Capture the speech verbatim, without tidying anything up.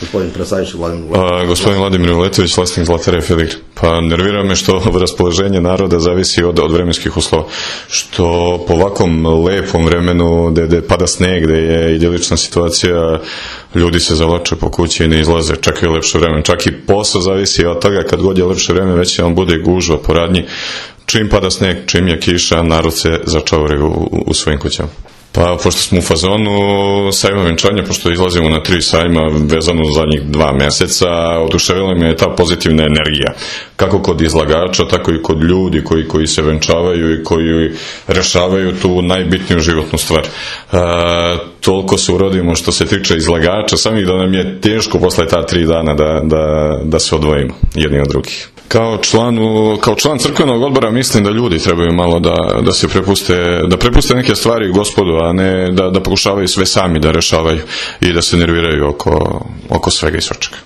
gospodin predstavljajući Vladimir Uletović. Gospodin Vladimir Uletović, vlasnik Zlatarije Filigre. Pa nervira me što raspoloženje naroda zavisi od, od vremenskih uslova. Što po ovakvom lepom vremenu, gde pada sneg, gde je idilična situacija, ljudi se zavlače po kući i ne izlaze, čekaju lepše vreme. Čak i posao zavisi od toga, kad god je lepše vreme, već on bude gužva po radnji. Čim pada sneg, čim je kiša, narod se začauri u, u, u svojim kućama. Pa, pošto smo u fazonu sajma venčanja, pošto izlazimo na tri sajma vezano za zadnjih dva meseca, oduševila me je ta pozitivna energija. Kako kod izlagača, tako i kod ljudi koji, koji se venčavaju i koji rešavaju tu najbitniju životnu stvar. E, toliko se urodimo što se tiče izlagača, samih da nam je teško posle ta tri dana da, da, da se odvojimo jedni od drugih. Kao, članu, kao član crkvenog odbora mislim da ljudi trebaju malo da, da se prepuste, da prepuste neke stvari Gospodu, a ne da, da pokušavaju sve sami da rešavaju i da se nerviraju oko, oko svega i svačega.